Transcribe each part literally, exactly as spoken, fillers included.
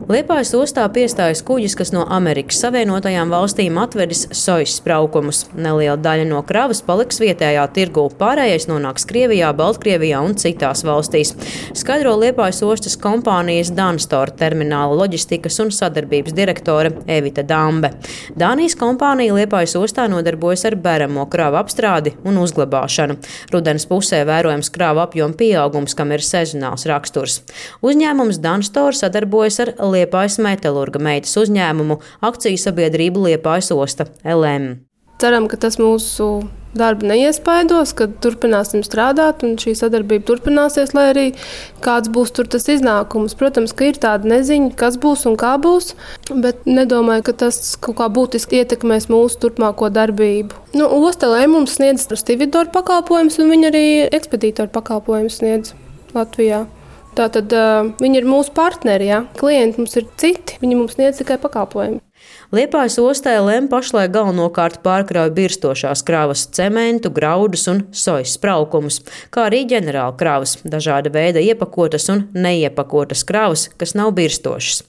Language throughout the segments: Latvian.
Liepājas ostā piestājas kuģis, kas no Amerikas Savienotajām valstīm atvedis sojas spraukumus. Neliela daļa no kravas paliks vietējā tirgū, pārējais nonāks Krievijā, Baltkrievijā un citās valstīs. Skaidro Liepājas ostas kompānijas Danstor termināla loģistikas un sadarbības direktore Evita Dambe. Dānijas kompānija Liepājas ostā nodarbojas ar beramo kravu apstrādi un uzglabāšanu. Rudens pusē vērojams kravu apjoma pieaugums, kam ir sezonāls raksturs. Uzņēmums Danstor sadarbojas ar Liepājas metalurga meitas uzņēmumu akciju sabiedrību Liepājas osta L M. Ceram, ka tas mūsu darbu neiespaidos, ka turpināsim strādāt un šī sadarbība turpināsies, lai arī kāds būs tur tas iznākums. Protams, ka ir tāda neziņa, kas būs un kā būs, bet nedomāju, ka tas kaut kā būtiski ietekmēs mūsu turpmāko darbību. Nu, osta L M mums sniedz stividoru pakalpojumus un viņi arī ekspedītoru pakalpojumus sniedz Latvijā. Tātad uh, viņi ir mūsu partneri, ja? Klienti mums ir citi, viņi mums sniedz tikai pakalpojumi. Liepājas ostā L M pašlaik galvenokārt pārkrauj birstošās kravas, cementu, graudus un sojas spraukumus, kā arī ģenerāla kravas, dažāda veida iepakotas un neiepakotas kravas, kas nav birstošas.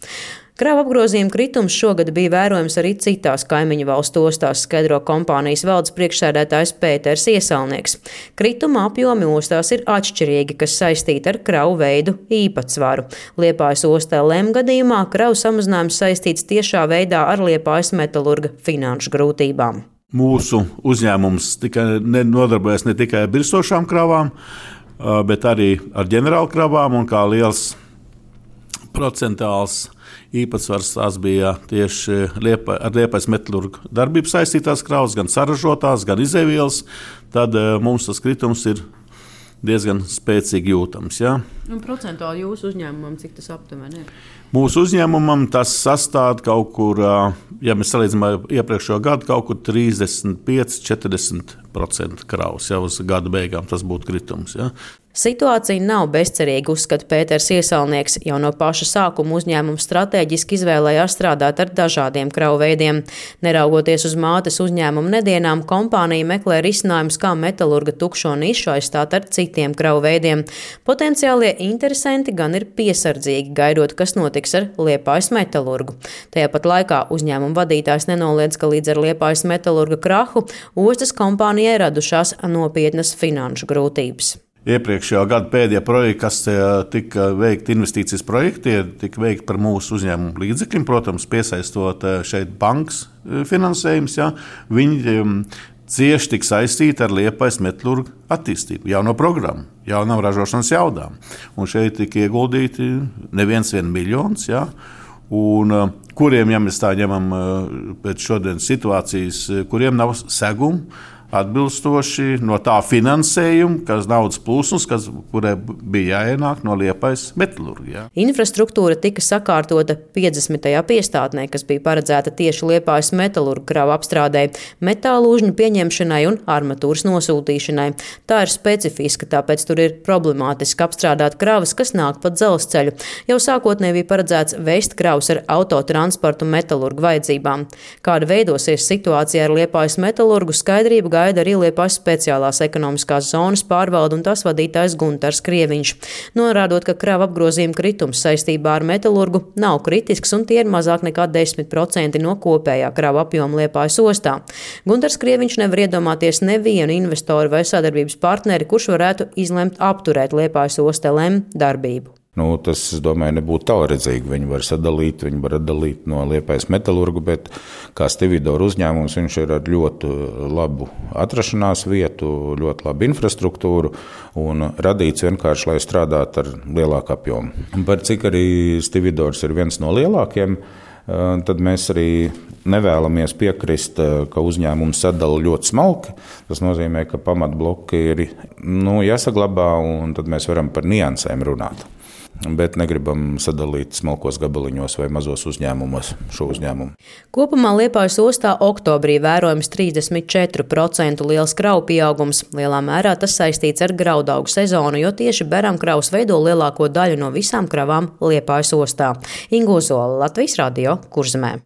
Kravu apgrozījuma kritums šogad bija vērojams arī citās kaimiņu valstu ostās, skaidro kompānijas valdes priekšsēdētājs Pēters Iesalnieks. Krituma apjomi ostās ir atšķirīgi, kas saistīti ar kravu veidu īpatsvaru. Liepājas ostā L M gadījumā kravu samazinājums saistīts tiešā veidā ar Liepājas metalurga finanšu grūtībām. Mūsu uzņēmums tika nodarbojas ne tikai ar birstošām kravām, bet arī ar ģenerāla kravām, un kā liels procentāls īpatsvars tās bija tieši Liepa, ar Liepājas metalurgu darbību saistītās kravas, gan saražotās, gan izēvielas, tad mums tas kritums ir diezgan spēcīgi jūtams. Ja? Un procentuāli jūsu uzņēmumam, cik tas aptuveni ir? Mūsu uzņēmumam tas sastāv kaut kur, ja mēs salīdzinām ar iepriekšējo gadu, kaut kur trīsdesmit pieci līdz četrdesmit procenti kravas. Jau uz gada beigām tas būtu kritums. Ja? Situācija nav bezcerīga, uzskata Pēters Iesalnieks. Jau no paša sākuma uzņēmums stratēģiski izvēlējās strādāt ar dažādiem kravu veidiem. Neraugoties uz mātes uzņēmuma nedienām, kompānija meklē risinājumus, kā metalurga tukšo nišu aizstāt ar citiem kravu veidiem. Potenciālie interesanti gan ir piesardzīgi, gaidot, kas notiks ar Liepājas metalurgu. Tajā pat laikā uzņēmuma vadītājs nenoliedz, ka līdz ar Liepājas metalurga krahu ostas kompānijai radušās nopietnas finanšu grūtības. Iepriekšējā gada pēdējie projekti, kas tika veikti investīcijas projekti, tika veikti par mūsu uzņēmumu līdzekļiem, protams, piesaistot šeit bankas finansējums. Ja, viņi cieši tika saistīti ar Liepājas metalurgu attīstību, jauno programmu, jaunām ražošanas jaudām. Un šeit tika ieguldīti neviens vien miljons, ja, un kuriem, ja mēs tā ņemam pēc šodienas situācijas, kuriem nav segumu, atbilstoši no tā finansējuma, kas naudas plūsmas, kas, kurai bija jāienāk no Liepājas metalurga. Ja. Infrastruktūra tika sakārtota piecdesmitajā piestātnē, kas bija paredzēta tieši Liepājas metalurga kravu apstrādei, metālu užņu pieņemšanai un armatūras nosūtīšanai. Tā ir specifiska, tāpēc tur ir problemātiski apstrādāt kravas, kas nāk pa dzelzceļu. Jau sākotnēji bija paredzēts veist kravas ar autotransportu metalurgu vajadzībām. Kāda veidosies situācija ar Liepājas metalurgu, skaidrību gaida arī Liepājas speciālās ekonomiskās zonas pārvalde un tās vadītājs Guntars Krieviņš, norādot, ka krava apgrozījuma kritums saistībā ar metalurgu nav kritisks un tie ir mazāk nekā desmit procenti no kopējā krava apjoma Liepājas ostā. Guntars Krieviņš nevar iedomāties nevienu investoru vai sadarbības partneri, kurš varētu izlemt apturēt Liepājas osta L M darbību. Nu, tas, es domāju, nebūtu tālredzīgi. Viņi var sadalīt, viņi var atdalīt no Liepājas metalurgu, bet kā stividoru uzņēmums viņš ir ar ļoti labu atrašanās vietu, ļoti labu infrastruktūru un radīts vienkārši, lai strādātu ar lielāku apjomu. Par cik arī stividors ir viens no lielākiem, tad mēs arī nevēlamies piekrist, ka uzņēmums sadala ļoti smalki. Tas nozīmē, ka pamatbloki ir nu, jāsaglabā un tad mēs varam par niansēm runāt. Bet negribam sadalīt smalkos gabaliņos vai mazos uzņēmumos šo uzņēmumu. Kopumā Liepājas ostā oktobrī vērojams trīsdesmit četri procenti liels kravu pieaugums. Lielā mērā tas saistīts ar graudaugu sezonu, jo tieši beramkravas veido lielāko daļu no visām kravām Liepājas ostā. Inga Ozola, Latvijas radio, Kurzemē.